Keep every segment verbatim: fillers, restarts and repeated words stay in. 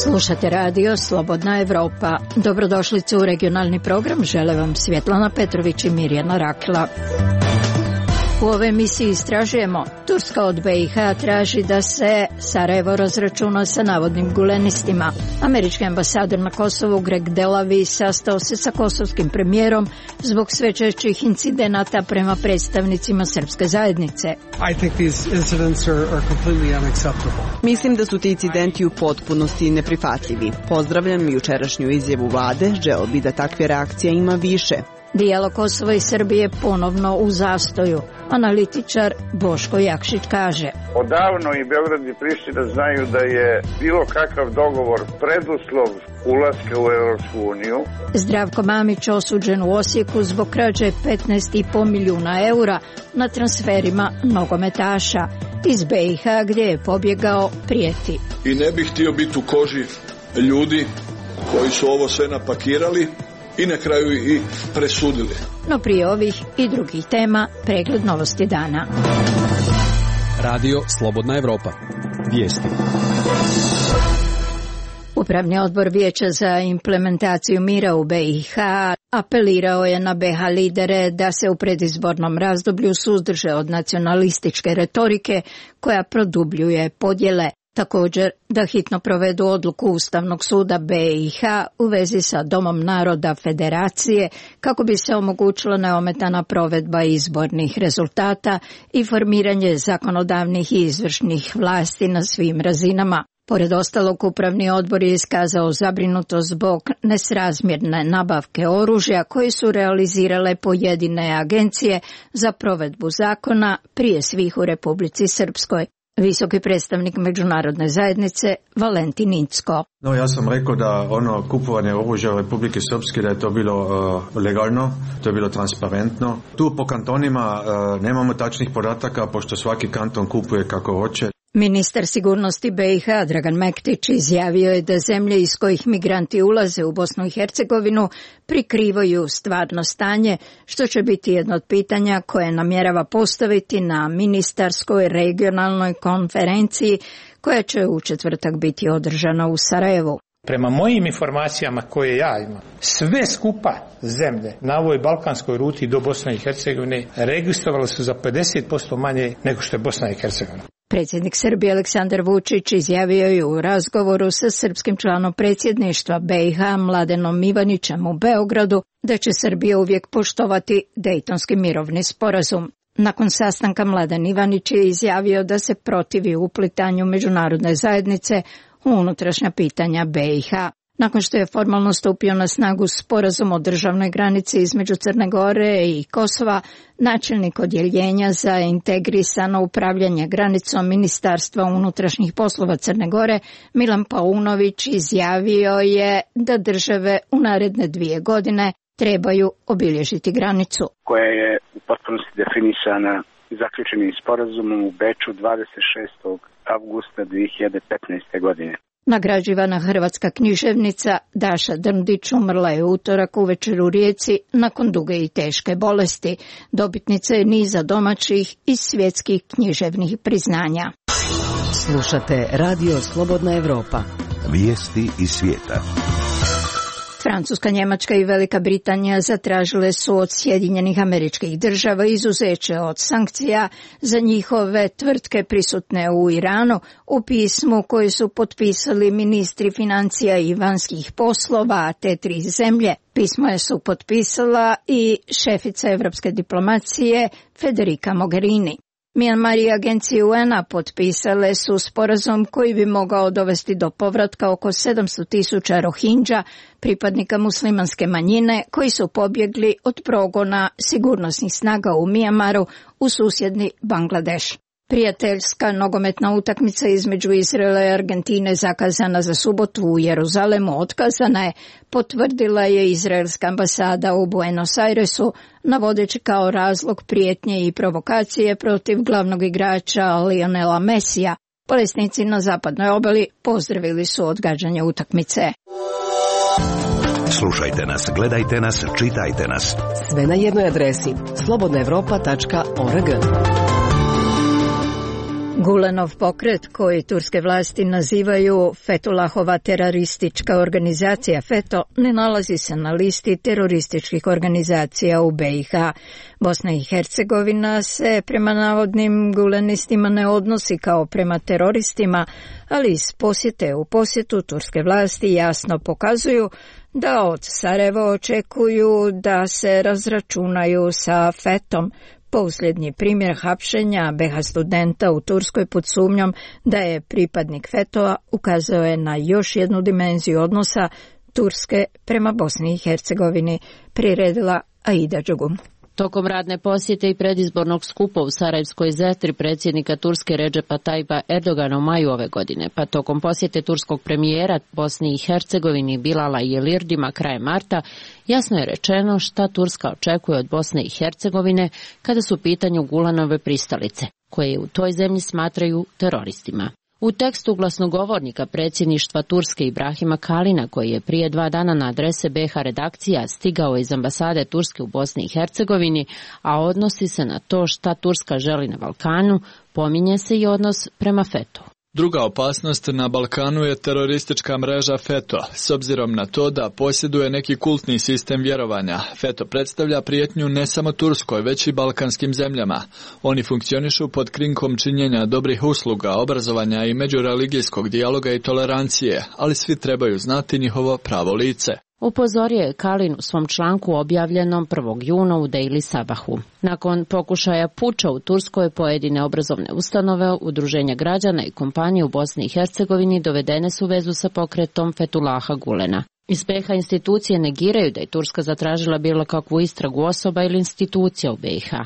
Slušate radio Slobodna Evropa. Dobrodošlice u regionalni program. Žele vam Svjetlana Petrović i Mirjana Rakla. U ovoj emisiji istražujemo. Turska od B i H traži da se Sarajevo razračuna sa navodnim gulenistima. Američki ambasador na Kosovu Greg Delavi sastao se sa kosovskim premijerom zbog sve češćih incidenata prema predstavnicima srpske zajednice. I think these incidents are, are completely unacceptable. Mislim da su ti incidenti u potpunosti neprihvatljivi. Pozdravljam jučerašnju izjavu vlade, želeo bi da takve reakcije ima više. Dijalog Kosova i Srbije ponovno u zastoju. Analitičar Boško Jakšić kaže: Odavno i Beograd i Priština znaju da je bilo kakav dogovor preduslov ulaska u Europsku uniju. Zdravko Mamić osuđen u Osijeku zbog krađe petnaest zarez pet milijuna eura na transferima nogometaša. Iz B i H gdje je pobjegao prijeti. I ne bih htio biti u koži ljudi koji su ovo sve napakirali i na kraju i presudili. No prije ovih i drugih tema, pregled novosti dana. Radio Slobodna Evropa. Vijesti. Upravni odbor Vijeća za implementaciju mira u B i H apelirao je na B i H lidere da se u predizbornom razdoblju suzdrže od nacionalističke retorike koja produbljuje podjele. Također da hitno provedu odluku Ustavnog suda B i H u vezi sa Domom naroda Federacije kako bi se omogućila neometana provedba izbornih rezultata i formiranje zakonodavnih i izvršnih vlasti na svim razinama. Pored ostalog, upravni odbor je iskazao zabrinutost zbog nesrazmjerne nabavke oružja koje su realizirale pojedine agencije za provedbu zakona, prije svih u Republici Srpskoj. Visoki predstavnik međunarodne zajednice Valentin Incko. No, ja sam rekao da ono kupovanje oružja u Republike Srpske da je to bilo uh, legalno, to je bilo transparentno. Tu po kantonima uh, nemamo tačnih podataka pošto svaki kanton kupuje kako hoće. Ministar sigurnosti B i H Dragan Mektić izjavio je da zemlje iz kojih migranti ulaze u Bosnu i Hercegovinu prikrivaju stvarno stanje, što će biti jedno od pitanja koje namjerava postaviti na ministarskoj regionalnoj konferenciji koja će u četvrtak biti održana u Sarajevu. Prema mojim informacijama koje ja imam, sve skupa zemlje na ovoj balkanskoj ruti do Bosne i Hercegovine registrovali su za pedeset posto manje nego što je Bosna i Hercegovina. Predsjednik Srbije Aleksandar Vučić izjavio je u razgovoru sa srpskim članom predsjedništva B i H Mladenom Ivanićem u Beogradu da će Srbija uvijek poštovati Dejtonski mirovni sporazum. Nakon sastanka Mladen Ivanić je izjavio da se protivi uplitanju međunarodne zajednice u unutrašnja pitanja B i H. Nakon što je formalno stupio na snagu sporazum o državnoj granici između Crne Gore i Kosova, načelnik odjeljenja za integrisano upravljanje granicom Ministarstva unutrašnjih poslova Crne Gore, Milan Paunović, izjavio je da države u naredne dvije godine trebaju obilježiti granicu. Koja je u potpunosti definisana zaključenim sporazumom u Beču dvadeset šestog avgusta dvije hiljade petnaeste. godine. Nagrađivana hrvatska književnica Daša Drndić umrla je utorak uvečer u Rijeci nakon duge i teške bolesti. Dobitnica je niza domaćih i svjetskih književnih priznanja. Slušate Radio Slobodna Evropa. Vijesti iz svijeta. Francuska, Njemačka i Velika Britanija zatražile su od Sjedinjenih Američkih Država izuzeće od sankcija za njihove tvrtke prisutne u Iranu u pismu koje su potpisali ministri financija i vanjskih poslova te tri zemlje. Pismo je su potpisala i šefica evropske diplomacije Federica Mogherini. Myanmar i agencije U N-a potpisale su sporazum koji bi mogao dovesti do povratka oko sedamsto tisuća Rohingya, pripadnika muslimanske manjine koji su pobjegli od progona sigurnosnih snaga u Myanmaru u susjedni Bangladeš. Prijateljska nogometna utakmica između Izraela i Argentine zakazana za subotu u Jeruzalemu otkazana je, potvrdila je izraelska ambasada u Buenos Airesu, navodeći kao razlog prijetnje i provokacije protiv glavnog igrača Lionela Messija. Palestinci na zapadnoj obali pozdravili su odgađanje utakmice. Slušajte nas, gledajte nas, čitajte nas. Sve na jednoj adresi slobodna evropa tačka org. Gulenov pokret, koji turske vlasti nazivaju Fethullahova teroristička organizacija FETO, ne nalazi se na listi terorističkih organizacija u B i H. Bosna i Hercegovina se prema navodnim gulenistima ne odnosi kao prema teroristima, ali iz posjete u posjetu turske vlasti jasno pokazuju da od Sarajeva očekuju da se razračunaju sa FETom. Posljednji primjer hapšenja be ha studenta u Turskoj pod sumnjom da je pripadnik FETO-a ukazao je na još jednu dimenziju odnosa Turske prema Bosni i Hercegovini, priredila Aida Đugum. Tokom radne posjete i predizbornog skupa u Sarajevskoj zetri predsjednika Turske Redžepa Tajba Erdogana u maju ove godine, pa tokom posjete turskog premijera Bosni i Hercegovini Bilala Yildirim'a krajem marta, jasno je rečeno šta Turska očekuje od Bosne i Hercegovine kada su u pitanju Gulenove pristalice, koje u toj zemlji smatraju teroristima. U tekstu glasnogovornika predsjedništva Turske Ibrahima Kalina, koji je prije dva dana na adrese be ha redakcija stigao iz ambasade Turske u Bosni i Hercegovini, a odnosi se na to šta Turska želi na Balkanu, pominje se i odnos prema FETO. Druga opasnost na Balkanu je teroristička mreža FETO, s obzirom na to da posjeduje neki kultni sistem vjerovanja. FETO predstavlja prijetnju ne samo Turskoj, već i balkanskim zemljama. Oni funkcionišu pod krinkom činjenja dobrih usluga, obrazovanja i međureligijskog dijaloga i tolerancije, ali svi trebaju znati njihovo pravo lice. Upozorio je Kalin u svom članku objavljenom prvog juna u Daily Sabahu. Nakon pokušaja puča u Turskoj, pojedine obrazovne ustanove, udruženja građana i kompanije u Bosni i Hercegovini dovedene su u vezu sa pokretom Fethullaha Gulena. Iz be ha institucije negiraju da je Turska zatražila bilo kakvu istragu osoba ili institucija u be i ha,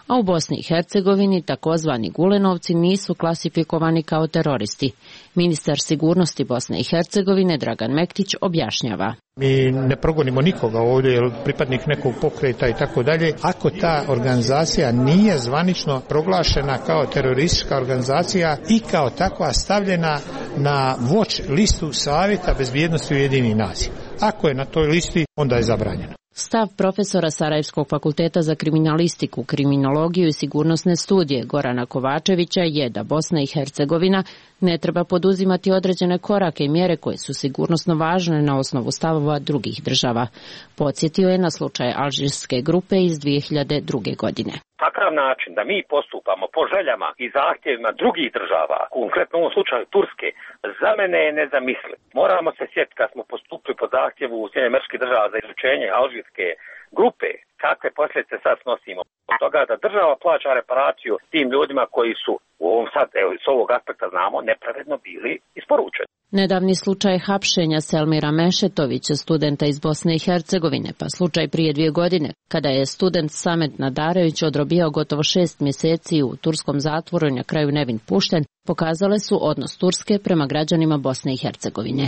a u Bosni i Hercegovini takozvani Gulenovci nisu klasifikovani kao teroristi. Ministar sigurnosti Bosne i Hercegovine Dragan Mektić objašnjava. Mi ne progonimo nikoga ovdje, jer pripadnik nekog pokreta i tako dalje. Ako ta organizacija nije zvanično proglašena kao teroristička organizacija i kao takva stavljena na watch listu Savjeta bezbjednosti Ujedinjenih nacija. Ako je na toj listi, onda je zabranjena. Stav profesora Sarajevskog fakulteta za kriminalistiku, kriminologiju i sigurnosne studije Gorana Kovačevića je da Bosna i Hercegovina ne treba poduzimati određene korake i mjere koje su sigurnosno važne na osnovu stavova drugih država. Podsjetio je na slučaj alžirske grupe iz dvije hiljade druge. godine. Takav način da mi postupamo po željama i zahtjevima drugih država, konkretno u ovom slučaju Turske, za mene je nezamisliv. Moramo se sjetiti kad smo postupili po zahtjevu Sjedinjenih Američkih Država za izručenje alžirske grupe, kakve posljedice sad snosimo. Od toga da država plaća reparaciju tim ljudima koji su u ovom sad, evo, s ovog aspekta znamo, nepravedno bili isporučeni. Nedavni slučaj hapšenja Selmira Mešetovića, studenta iz Bosne i Hercegovine, pa slučaj prije dvije godine, kada je student Samet Nadarević odrobijao gotovo šest mjeseci u turskom zatvoru i na kraju nevin pušten, pokazale su odnos Turske prema građanima Bosne i Hercegovine.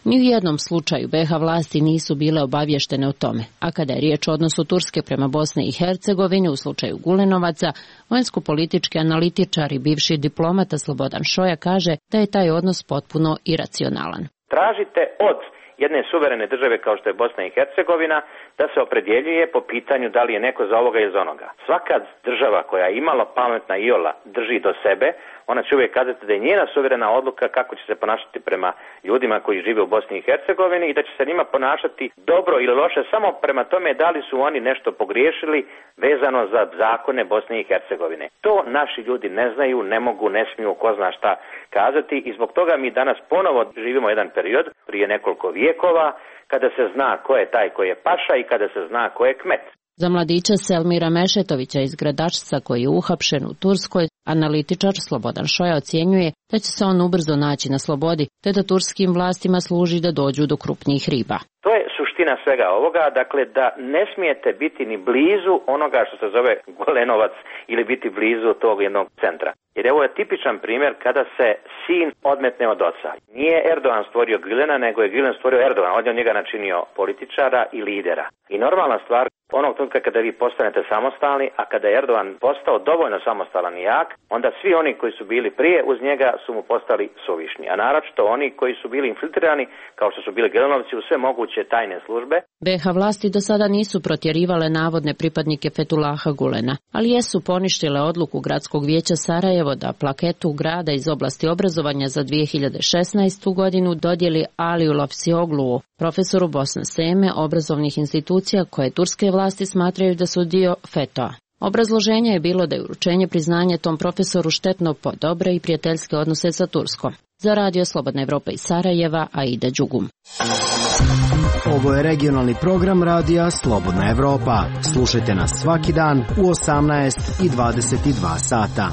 Ni u jednom slučaju be ha vlasti nisu bile obavještene o tome, a kada je riječ o odnosu Turske prema Bosne i Hercegovine u slučaju Gulenovaca, vanjsko-politički analitičar i bivši diplomata Slobodan Šoja kaže da je taj odnos potpuno iracionalan. Tražite od jedne suverene države kao što je Bosna i Hercegovina da se opredjeljuje po pitanju da li je neko za ovoga ili za onoga. Svaka država koja je imala pametna iola drži do sebe, ona će uvijek kazati da je njena suverena odluka kako će se ponašati prema ljudima koji žive u Bosni i Hercegovini i da će se njima ponašati dobro ili loše samo prema tome da li su oni nešto pogriješili vezano za zakone Bosne i Hercegovine. To naši ljudi ne znaju, ne mogu, ne smiju, ko zna šta kazati i zbog toga mi danas ponovo živimo jedan period prije nekoliko vijekova kada se zna ko je taj ko je paša i kada se zna ko je kmet. Za mladića Selmira Mešetovića iz Gradačca, koji je uhapšen u Turskoj, analitičar Slobodan Šoja ocjenjuje da će se on ubrzo naći na slobodi, te da turskim vlastima služi da dođu do krupnijih riba. To je suština svega ovoga, dakle da ne smijete biti ni blizu onoga što se zove Golenovac ili biti blizu tog jednog centra. Jer ovo je tipičan primjer kada se sin odmetne od oca. Nije Erdogan stvorio Gülena, nego je Gülen stvorio Erdogan. On je od njega načinio političara i lidera. I normalna stvar, onog trenutka kada vi postanete samostalni, a kada je Erdogan postao dovoljno samostalan i jak, onda svi oni koji su bili prije uz njega su mu postali suvišni. A naročito oni koji su bili infiltrirani, kao što su bili Gülenovci u sve moguće tajne službe. be ha vlasti do sada nisu protjerivale navodne pripadnike Fethullaha Gülena, ali jesu poništile odluku Gradskog vijeća Sarajevo da plaketu grada iz oblasti obrazovanja za dvije hiljade šesnaestu godinu dodijeli Aliju Lafsioglu, profesoru Bosne Seme obrazovnih institucija koje turske vlasti smatraju da su dio fetoa. Obrazloženje je bilo da je uručenje priznanje tom profesoru štetno po dobre i prijateljske odnose sa Turskom. Za Radio Slobodna Evropa iz Sarajeva, Aida Đugum. Ovo je regionalni program Radija Slobodna Evropa. Slušajte nas svaki dan u osamnaest i dvadeset dva sata.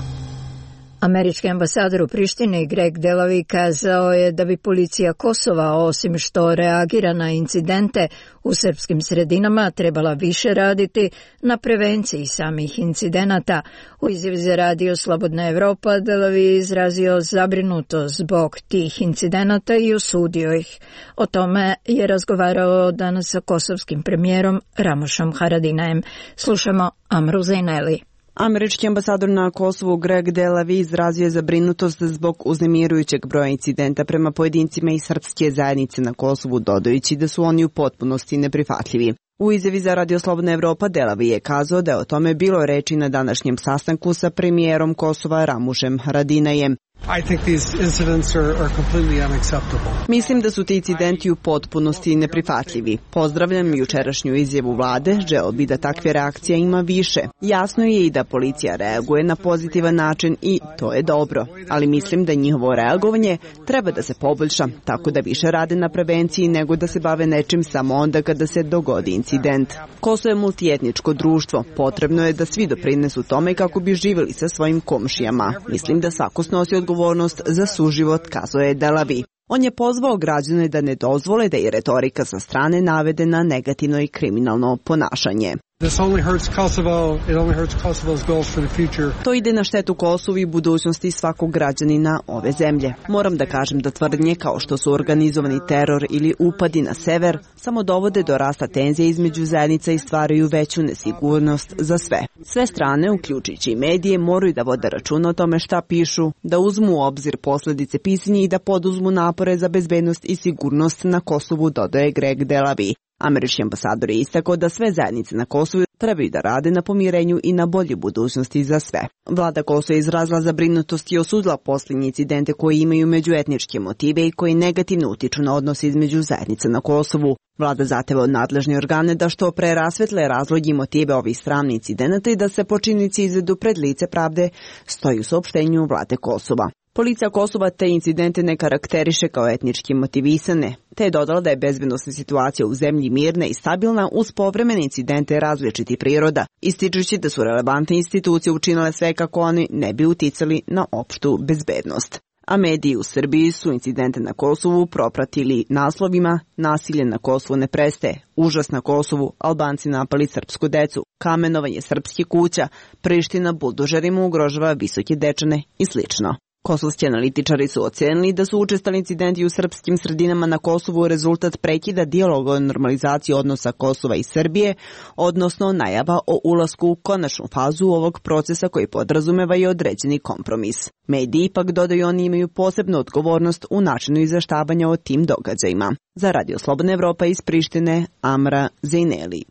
Američki ambasador u Prištini Greg Delavi kazao je da bi policija Kosova, osim što reagira na incidente u srpskim sredinama, trebala više raditi na prevenciji samih incidenata. U izjavi za Radio Slobodna Evropa Delavi je izrazio zabrinutost zbog tih incidenata i osudio ih. O tome je razgovarao danas sa kosovskim premijerom Ramošom Haradinajem. Slušamo Amru Zaineli. Američki ambasador na Kosovu Greg Delavi izrazio je zabrinutost zbog uznemirujućeg broja incidenta prema pojedincima iz srpske zajednice na Kosovu, dodajući da su oni u potpunosti neprihvatljivi. U izjavi za Radio Slobodna Evropa Delavi je kazao da je o tome bilo reči na današnjem sastanku sa premijerom Kosova Ramušem Haradinajem. I think these incidents are, are completely unacceptable. Mislim da su ti incidenti u potpunosti neprihvatljivi. Pozdravljam jučerašnju izjavu vlade, želeo bi da takve reakcije ima više. Jasno je i da policija reaguje na pozitivan način i to je dobro, ali mislim da njihovo reagovanje treba da se poboljša, tako da više rade na prevenciji nego da se bave nečim samo onda kada se dogodi incident. Kosovo je multietničko društvo, potrebno je da svi doprinesu tome kako bi živjeli sa svojim komšijama. Mislim da svako snosi odgovornost za suživot, kazao je Delavi. On je pozvao građane da ne dozvole da i retorika sa strane navede na negativno i kriminalno ponašanje. This only hurts Kosovo. It only hurts Kosovo's goals for the future. To ide na štetu Kosovu i budućnosti svakog građanina ove zemlje. Moram da kažem da tvrdnje kao što su organizovani teror ili upadi na sever samo dovode do rasta tenzije između zajednica i stvaraju veću nesigurnost za sve. Sve strane, uključujući i medije, moraju da vode računa o tome šta pišu, da uzmu u obzir posljedice pisanja i da poduzmu napore za bezbednost i sigurnost na Kosovu, dodaje Greg Delavi. Američki ambasador je istakao da sve zajednice na Kosovu trebaju da rade na pomirenju i na bolje budućnosti za sve. Vlada Kosova je izrazila zabrinutost i osudila posljednje incidente koji imaju međuetničke motive i koji negativno utiču na odnose između zajednica na Kosovu. Vlada zahteva od nadležne organe da što pre rasvetle razloge i motive ovih sramnih incidenata i da se počinnici izvedu pred lice pravde, stoji u saopštenju vlade Kosova. Policija Kosova te incidente ne karakteriše kao etnički motivisane, te je dodala da je bezbednosna situacija u zemlji mirna i stabilna uz povremene incidente različitih priroda, ističući da su relevantne institucije učinile sve kako oni ne bi uticali na opštu bezbednost. A mediji u Srbiji su incidente na Kosovu propratili naslovima "Nasilje na Kosovu ne prestaje", "Užas na Kosovu", "Albanci napali srpsku decu", "Kamenovanje srpskih kuća", "Priština buldožerima ugrožava visoke dečane" i slično. Kosovski analitičari su ocenili da su učestali incidenti u srpskim sredinama na Kosovu rezultat prekida dijaloga o normalizaciji odnosa Kosova i Srbije, odnosno najava o ulasku u konačnu fazu ovog procesa koji podrazumeva i određeni kompromis. Mediji ipak, dodaju oni, imaju posebnu odgovornost u načinu izveštavanja o tim događajima. Za Radio Slobodna Evropa iz Prištine, Amra Zaineli.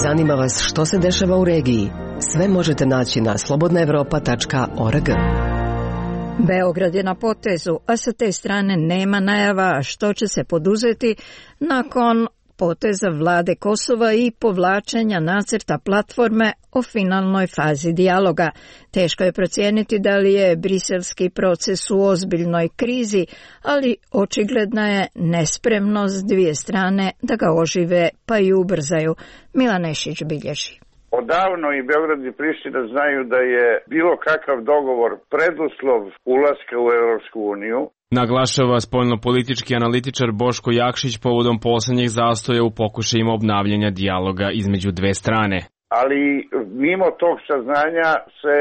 Zanima vas što se dešava u regiji? Sve možete naći na slobodna evropa tačka org. Beograd je na potezu, a sa te strane nema najava što će se poduzeti nakon poteza vlade Kosova i povlačenja nacrta platforme o finalnoj fazi dijaloga. Teško je procijeniti da li je briselski proces u ozbiljnoj krizi, ali očigledna je nespremnost dvije strane da ga ožive pa i ubrzaju. Milan Nešić bilježi. Odavno i Beograd i Priština znaju da je bilo kakav dogovor preduslov ulaska u Europsku uniju. Naglašava spoljnopolitički analitičar Boško Jakšić povodom poslednjih zastoja u pokušajima obnavljanja dijaloga između dve strane. ali mimo tog saznanja se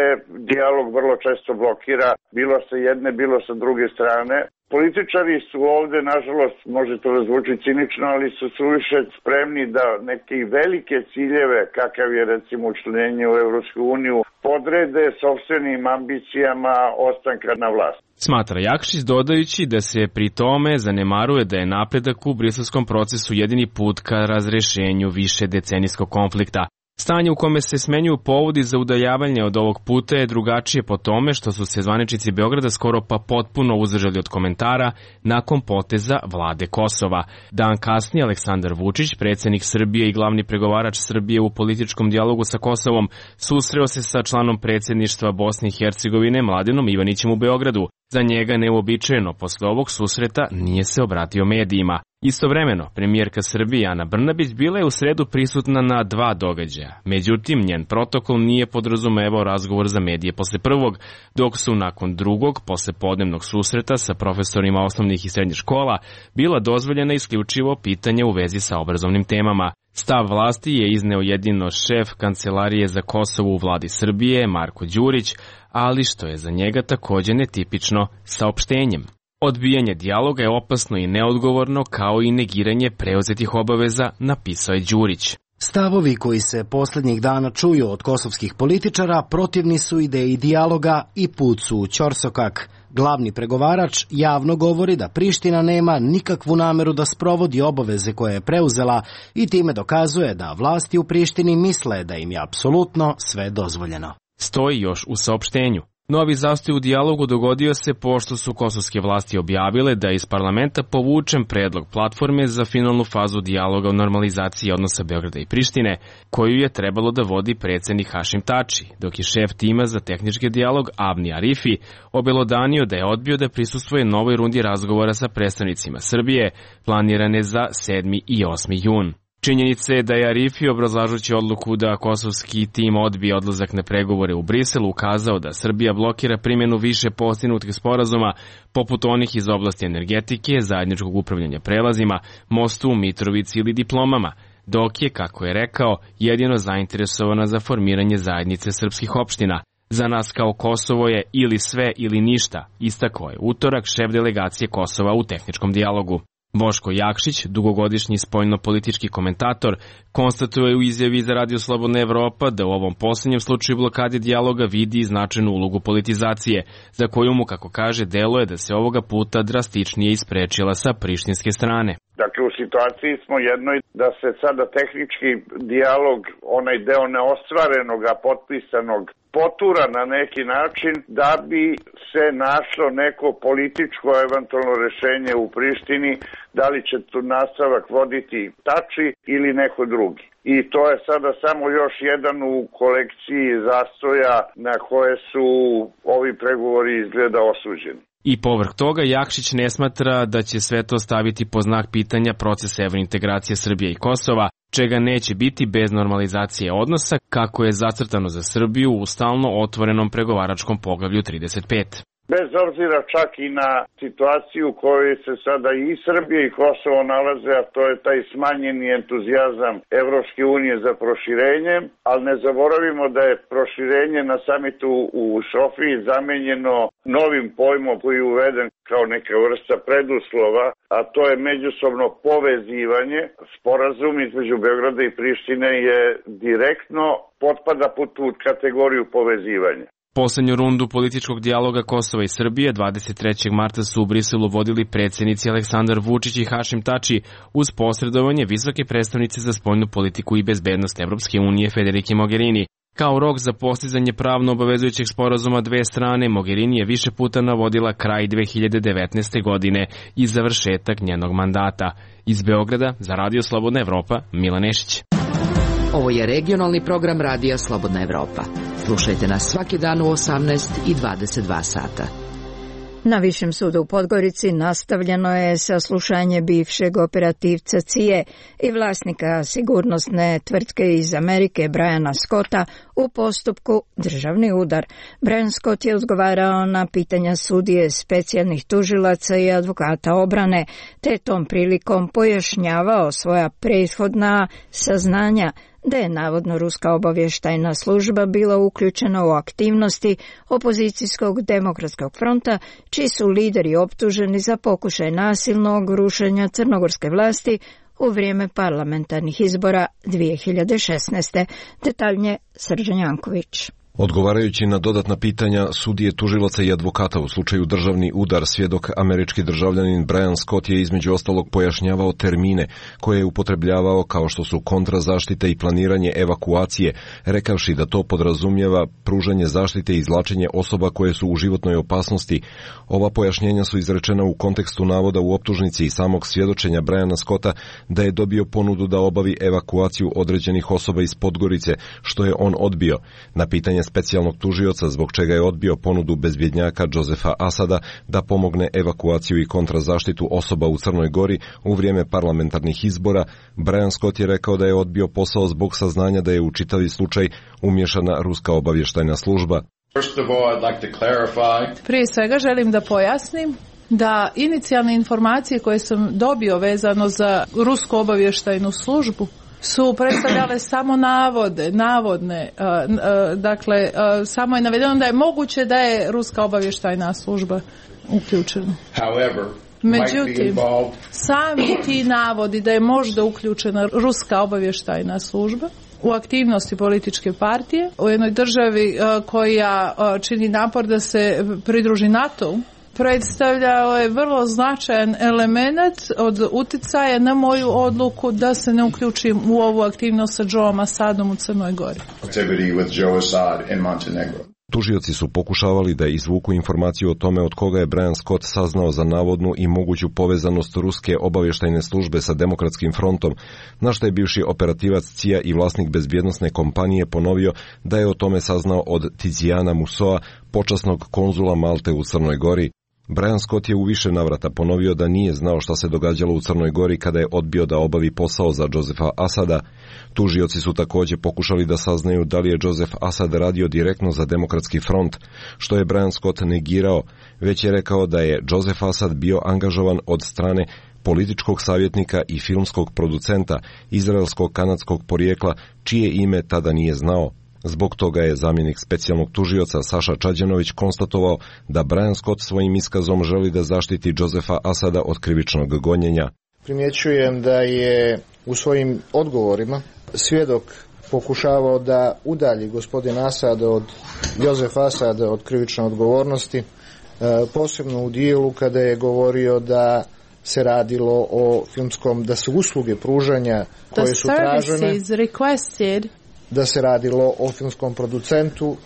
dijalog vrlo često blokira, bilo sa jedne, bilo sa druge strane. Političari su ovde, nažalost, može to da zvuči cinično, ali su suviše spremni da neke velike ciljeve, kakav je recimo učlanjenje u Evropsku uniju, podrede sopstvenim ambicijama ostanka na vlasti. Smatra Jakšić, dodajući da se pri tome zanemaruje da je napredak u briselskom procesu jedini put ka razrešenju više decenijskog konflikta. Stanje u kome se smenjuju povodi za udaljavanje od ovog puta je drugačije po tome što su se zvaničnici Beograda skoro pa potpuno uzdržali od komentara nakon poteza vlade Kosova. Dan kasnije Aleksandar Vučić, predsjednik Srbije i glavni pregovarač Srbije u političkom dijalogu sa Kosovom, susreo se sa članom predsjedništva Bosne i Hercegovine Mladenom Ivanićem u Beogradu. Za njega neuobičajeno posle ovog susreta nije se obratio medijima. Istovremeno, premijerka Srbije Ana Brnabić bila je u sredu prisutna na dva događaja. Međutim, njen protokol nije podrazumevao razgovor za medije posle prvog, dok su nakon drugog, posle podnevnog susreta sa profesorima osnovnih i srednjih škola, bila dozvoljena isključivo pitanje u vezi sa obrazovnim temama. Stav vlasti je izneo jedino šef Kancelarije za Kosovo u vladi Srbije, Marko Đurić, ali što je za njega takođe netipično, saopštenjem. Odbijanje dijaloga je opasno i neodgovorno, kao i negiranje preuzetih obaveza, napisao je Đurić. Stavovi koji se posljednjih dana čuju od kosovskih političara protivni su ideji dijaloga i put su u ćorsokak. Glavni pregovarač javno govori da Priština nema nikakvu nameru da sprovodi obaveze koje je preuzela i time dokazuje da vlasti u Prištini misle da im je apsolutno sve dozvoljeno. Stoji još u saopštenju. Novi zastoj u dijalogu dogodio se pošto su kosovske vlasti objavile da je iz parlamenta povučen predlog platforme za finalnu fazu dijaloga o normalizaciji odnosa Beograda i Prištine, koju je trebalo da vodi predsjednik Hašim Tači, dok je šef tima za tehnički dijalog Avni Arifi obelodanio da je odbio da prisustvuje novoj rundi razgovora sa predstavnicima Srbije, planirane za sedmi i osmi jun. Činjenica je da je Arifi, obrazlažući odluku da kosovski tim odbije odlazak na pregovore u Briselu, ukazao da Srbija blokira primjenu više postignutih sporazuma, poput onih iz oblasti energetike, zajedničkog upravljanja prelazima, mostu u Mitrovici ili diplomama, dok je, kako je rekao, jedino zainteresovana za formiranje zajednice srpskih opština. Za nas kao Kosovo je ili sve ili ništa, istakao je utorak šef delegacije Kosova u tehničkom dijalogu. Boško Jakšić, dugogodišnji spoljno-politički komentator, konstatuje u izjavi za Radio Slobodna Evropa da u ovom posljednjem slučaju blokade dijaloga vidi značajnu ulogu politizacije, za koju mu, kako kaže, deluje da se ovoga puta drastičnije isprečila sa prištinske strane. Dakle, u situaciji smo jednoj da se sada tehnički dijalog, onaj deo neostvarenog, a potpisanog, potura na neki način da bi se našlo neko političko eventualno rešenje u Prištini, da li će tu nastavak voditi Tači ili neko drugi. I to je sada samo još jedan u kolekciji zastoja na koje su ovi pregovori izgleda osuđeni. I povrh toga, Jakšić ne smatra da će sve to staviti po znak pitanja procesa evrointegracije Srbije i Kosova, čega neće biti bez normalizacije odnosa, kako je zacrtano za Srbiju u stalno otvorenom pregovaračkom poglavlju trideset pet. Bez obzira čak i na situaciju u kojoj se sada i Srbija i Kosovo nalaze, a to je taj smanjeni entuzijazam Evropske unije za proširenje, ali ne zaboravimo da je proširenje na samitu u Sofiji zamenjeno novim pojmom koji je uveden kao neka vrsta preduslova, a to je međusobno povezivanje. Sporazum između Beograda i Prištine je direktno potpada pod tu kategoriju povezivanja. Poslednju rundu političkog dijaloga Kosova i Srbije dvadeset trećeg marta su u Briselu vodili predsjednici Aleksandar Vučić i Hašim Tači uz posredovanje visoke predstavnice za spoljnu politiku i bezbednost Evropske unije Federike Mogherini. Kao rok za postizanje pravno obavezujućeg sporazuma dve strane, Mogherini je više puta navodila kraj dve hiljade devetnaeste. godine i završetak njenog mandata. Iz Beograda za Radio Slobodna Evropa, Milan Nešić. Ovo je regionalni program Radija Slobodna Evropa. Slušajte nas svaki dan u osamnaest i dvadeset dva sata. Na Višem sudu u Podgorici nastavljeno je saslušanje bivšeg operativca C I A i vlasnika sigurnosne tvrtke iz Amerike Briana Scotta u postupku Državni udar. Brian Scott je odgovarao na pitanja sudije, specijalnih tužilaca i advokata obrane, te tom prilikom pojašnjavao svoja prethodna saznanja da je navodno ruska obavještajna služba bila uključena u aktivnosti opozicijskog demokratskog fronta, čiji su lideri optuženi za pokušaj nasilnog rušenja crnogorske vlasti u vrijeme parlamentarnih izbora dvije hiljade šesnaeste. Detaljnije Srđan Janković. Odgovarajući na dodatna pitanja sudije, tužilaca i advokata u slučaju državni udar, svjedok američki državljanin Brian Scott je između ostalog pojašnjavao termine koje je upotrebljavao kao što su kontrazaštita i planiranje evakuacije, rekavši da to podrazumijeva pružanje zaštite i izvlačenje osoba koje su u životnoj opasnosti. Ova pojašnjenja su izrečena u kontekstu navoda u optužnici i samog svjedočenja Briana Scotta da je dobio ponudu da obavi evakuaciju određenih osoba iz Podgorice, što je on odbio. Na pitanje specijalnog tužioca zbog čega je odbio ponudu bezbjednjaka Josefa Asada da pomogne evakuaciju i kontrazaštitu osoba u Crnoj Gori u vrijeme parlamentarnih izbora, Brian Scott je rekao da je odbio posao zbog saznanja da je u čitavi slučaj umješana ruska obavještajna služba. Prije svega želim da pojasnim da inicijalne informacije koje sam dobio vezano za rusku obavještajnu službu su predstavljale samo navode, navodne, uh, uh, dakle, uh, samo je navedeno da je moguće da je ruska obavještajna služba uključena. However, međutim, sami ti navodi da je možda uključena ruska obavještajna služba u aktivnosti političke partije u jednoj državi uh, koja uh, čini napor da se pridruži NATO-u, predstavljao je vrlo značajan element od uticaja na moju odluku da se ne uključim u ovu aktivnost sa Joeom Asadom u Crnoj Gori. Tužioci su pokušavali da izvuku informaciju o tome od koga je Brian Scott saznao za navodnu i moguću povezanost ruske obavještajne službe sa Demokratskim frontom, na što je bivši operativac C I A i vlasnik bezbjednosne kompanije ponovio da je o tome saznao od Tiziana Musoa, počasnog konzula Malte u Crnoj Gori. Brian Scott je u više navrata ponovio da nije znao šta se događalo u Crnoj Gori kada je odbio da obavi posao za Josefa Asada. Tužioci su također pokušali da saznaju da li je Josef Asad radio direktno za Demokratski front, što je Brian Scott negirao, već je rekao da je Josef Asad bio angažovan od strane političkog savjetnika i filmskog producenta izraelskog kanadskog porijekla, čije ime tada nije znao. Zbog toga je zamjenik specijalnog tužioca Saša Čađanović konstatovao da Brian Scott svojim iskazom želi da zaštiti Josefa Asada od krivičnog gonjenja. Primjećujem da je u svojim odgovorima svjedok pokušavao da udalji gospodin Asad od Josefa Asada od krivične odgovornosti, posebno u dijelu kada je govorio da se radilo o filmskom, da su usluge pružanja koje su tražene, da se radilo o filmskom producentu,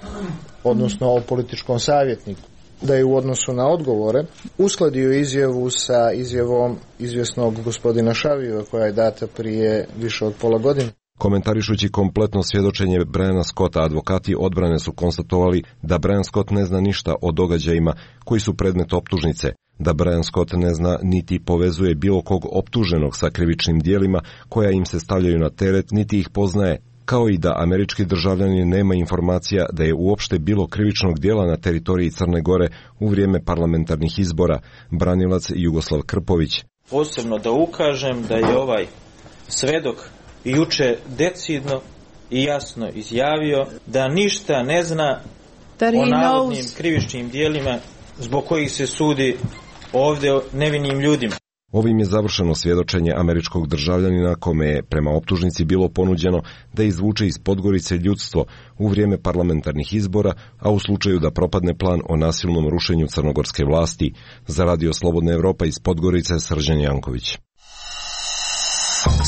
odnosno o političkom savjetniku. Da je u odnosu na odgovore uskladio izjavu sa izjavom izvjesnog gospodina Šavijeva koja je data prije više od pola godine. Komentarišući kompletno svjedočenje Briana Scotta, advokati odbrane su konstatovali da Brian Scott ne zna ništa o događajima koji su predmet optužnice, da Brian Scott ne zna niti povezuje bilo kog optuženog sa krivičnim dijelima koja im se stavljaju na teret, niti ih poznaje, kao i da američki državljanin nema informacija da je uopšte bilo krivičnog dijela na teritoriji Crne Gore u vrijeme parlamentarnih izbora, branilac Jugoslav Krpović. Posebno da ukažem da je ovaj svedok juče decidno i jasno izjavio da ništa ne zna o navodnim krivičnim dijelima zbog kojih se sudi ovdje nevinim ljudima. Ovim je završeno svjedočenje američkog državljanina kome je prema optužnici bilo ponuđeno da izvuče iz Podgorice ljudstvo u vrijeme parlamentarnih izbora, a u slučaju da propadne plan o nasilnom rušenju crnogorske vlasti. Za Radio Slobodna Evropa iz Podgorice, Srđan Janković.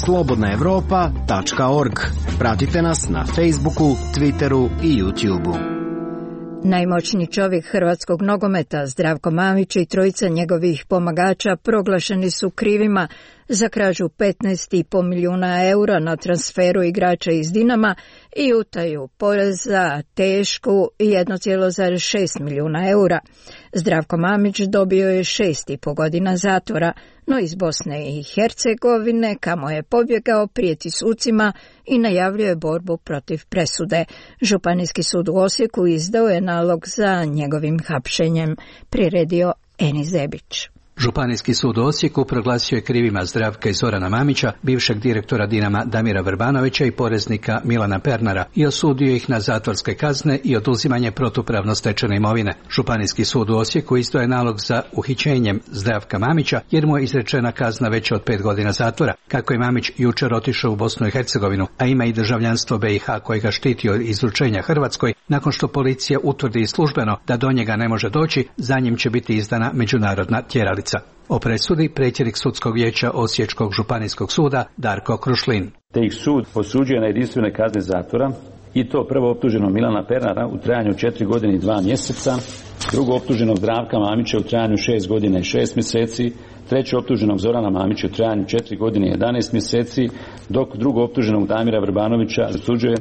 slobodna evropa tačka org. Pratite nas na Facebooku, Twitteru i YouTubeu. Najmoćniji čovjek hrvatskog nogometa Zdravko Mamić i trojica njegovih pomagača proglašeni su krivima za krađu petnaest i po milijuna eura na transferu igrača iz Dinama i utaju poreza tešku jedan zarez šest milijuna eura. Zdravko Mamić dobio je šest i po godina zatvora, no iz Bosne i Hercegovine, kamo je pobjegao, prijeti sucima i najavljuje borbu protiv presude. Županijski sud u Osijeku izdao je nalog za njegovim hapšenjem, priredio Eni Zebić. Županijski sud u Osijeku proglasio je krivima Zdravka i Zorana Mamića, bivšeg direktora Dinama Damira Vrbanovića i poreznika Milana Pernara, i osudio ih na zatvorske kazne i oduzimanje protupravno stečene imovine. Županijski sud u Osijeku izdao je nalog za uhićenjem Zdravka Mamića jer mu je izrečena kazna veća od pet godina zatvora. Kako je Mamić jučer otišao u Bosnu i Hercegovinu, a ima i državljanstvo B i H koje ga štiti od izručenja Hrvatskoj, nakon što policija utvrdi službeno da do njega ne može doći, za njim će biti izdana međunarodna tjeralica. O presudi predsjednik sudskog vijeća Osječkog županijskog suda Darko Krušlin. Te ih sud osuđuje na jedinstvene kazne zatvora, i to prvo optuženog Milana Pernara u trajanju četiri godine i dva mjeseca, drugo optuženog Zdravka Mamića u trajanju šest godina i šest mjeseci, treće optuženog Zorana Mamića u trajanju četiri godine i jedanaest mjeseci, dok drugo optuženog Damira Vrbanovića osuđuje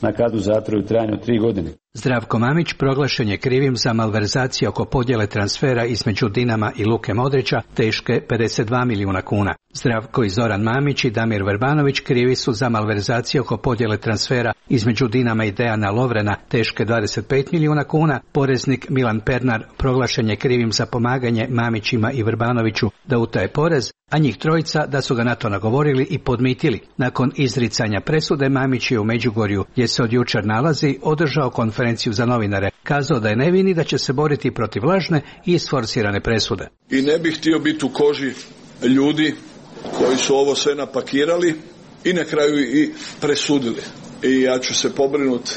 na kaznu zatvora u trajanju tri godine. Zdravko Mamić proglašen je krivim za malverzacije oko podjele transfera između Dinama i Luke Modrića teške pedeset dva milijuna kuna. Zdravko i Zoran Mamić i Damir Vrbanović krivi su za malverzacije oko podjele transfera između Dinama i Dejana Lovrena teške dvadeset pet milijuna kuna. Poreznik Milan Pernar proglašen je krivim za pomaganje Mamićima i Vrbanoviću da utaje porez, a njih trojica da su ga na to nagovorili i podmitili. Nakon izricanja presude, Mamić je u Međugorju, gdje se od jučer nalazi, održao konferenciju za novinare. Kazao da je nevin i da će se boriti protiv lažne i isforsirane presude. I ne bih htio biti u koži ljudi koji su ovo sve napakirali i na kraju i presudili. I ja ću se pobrinuti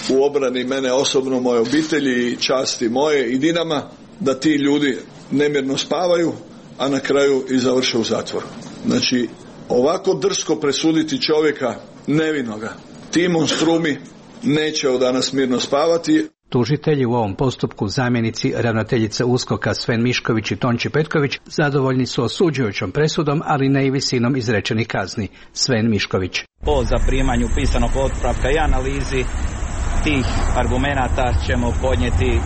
u obrani mene osobno, moje obitelji i časti moje i Dinama, da ti ljudi nemirno spavaju, a na kraju i završe u zatvoru. Znači, ovako drsko presuditi čovjeka nevinoga, ti monstrumi neće od danas mirno spavati. Tužitelji u ovom postupku, zamjenici ravnateljice USKOK-a Sven Mišković i Tonči Petković, zadovoljni su osuđujućom presudom, ali ne i visinom izrečenih kazni. Sven Mišković. Po zaprimanju pisanog otpravka i analizi tih argumenata ćemo podnijeti e,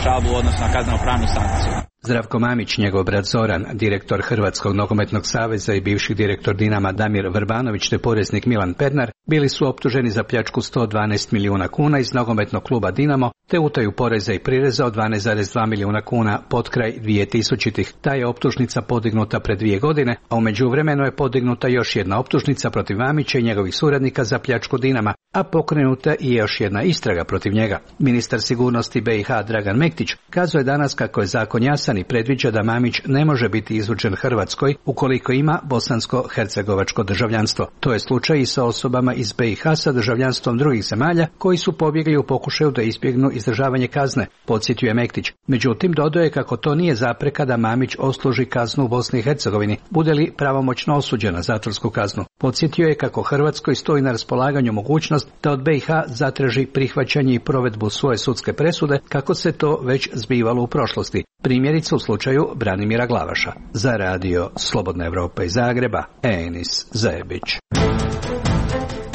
žalbu odnosno kaznenopravnu sankciju. Zdravko Mamić, njegov brat Zoran, direktor Hrvatskog nogometnog saveza i bivši direktor Dinama Damir Vrbanović te poreznik Milan Pernar bili su optuženi za pljačku sto dvanaest milijuna kuna iz nogometnog kluba Dinamo te utaju poreza i prireza od dvanaest zarez dva milijuna kuna pod kraj dvije tisućitih. Ta je optužnica podignuta pred dvije godine, a u međuvremenu je podignuta još jedna optužnica protiv Mamića i njegovih suradnika za pljačku Dinama, a pokrenuta i još jedna istraga protiv njega. Ministar sigurnosti B i H Dragan Mektić kazao je danas kako je zakon jasan i predviđa da Mamić ne može biti izručen Hrvatskoj ukoliko ima bosansko-hercegovačko državljanstvo. To je slučaj i sa osobama iz B i H sa državljanstvom drugih zemalja koji su pobjegli u pokušaju da izbjegnu izdržavanje kazne, podsjetio je Mektić. Međutim, dodao je kako to nije zapreka da Mamić odsluži kaznu u Bosni i Hercegovini, bude li pravomoćno osuđen na zatvorsku kaznu. Podsjetio je kako Hrvatskoj stoji na raspolaganju mogućnost da od B i H zatraži prihvaćanje i provedbu svoje sudske presude, kako se to već zbivalo u prošlosti. Primjerice u slučaju Branimira Glavaša. Za radio Slobodna Evropa iz Zagreba, Enis Zajebić.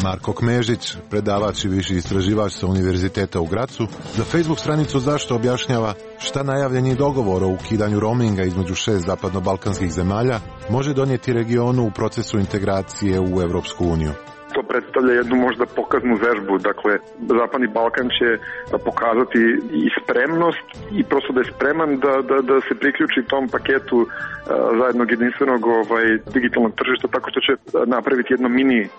Marko Kmežić, predavač i viši istraživač sa Univerziteta u Gracu, za Facebook stranicu Zašto objašnjava šta najavljeni dogovor o ukidanju roaminga između šest zapadno-balkanskih zemalja može donijeti regionu u procesu integracije u Europsku uniju. To predstavlja jednu možda pokaznu vežbu, dakle Zapadni Balkan će pokazati i spremnost i prosto da je spreman da, da, da se priključi tom paketu a, zajednog jedinstvenog ovaj, digitalnog tržišta, tako što će napraviti jedno mini a,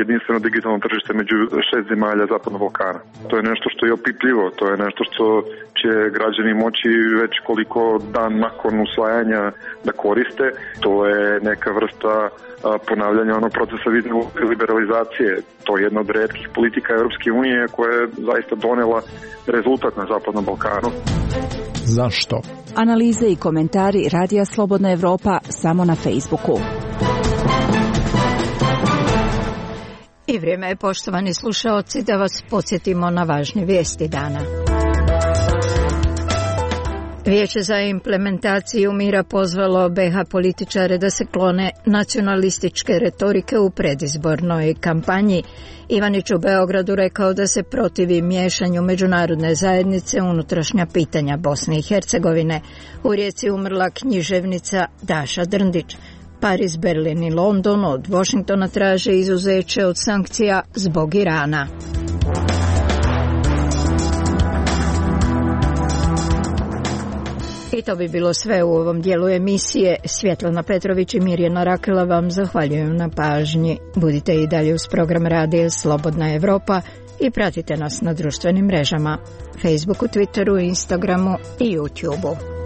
jedinstveno digitalno tržište među šest zemalja Zapadnog Balkana. To je nešto što je opipljivo, to je nešto što će građani moći već koliko dan nakon usvajanja da koriste. To je neka vrsta ponavljanja onog procesa vizne liberalizacije. To je jedna od retkih politika Europske unije koja je zaista donela rezultat na Zapadnom Balkanu. Zašto? Analize i komentari Radija Slobodna Evropa samo na Facebooku. I vrijeme je, poštovani slušaoci, da vas podsjetimo na važne vijesti dana. Vijeće za implementaciju mira pozvalo B H političare da se klone nacionalističke retorike u predizbornoj kampanji. Ivanić u Beogradu rekao da se protivi miješanju međunarodne zajednice u unutrašnja pitanja Bosne i Hercegovine. U Rijeci umrla književnica Daša Drndić. Pariz, Berlin i London od Washingtona traže izuzeće od sankcija zbog Irana. I to bi bilo sve u ovom dijelu emisije. Svjetlana Petrović i Mirjana Rakela vam zahvaljujem na pažnji. Budite i dalje uz program Radija Slobodna Evropa i pratite nas na društvenim mrežama, Facebooku, Twitteru, Instagramu i YouTubeu.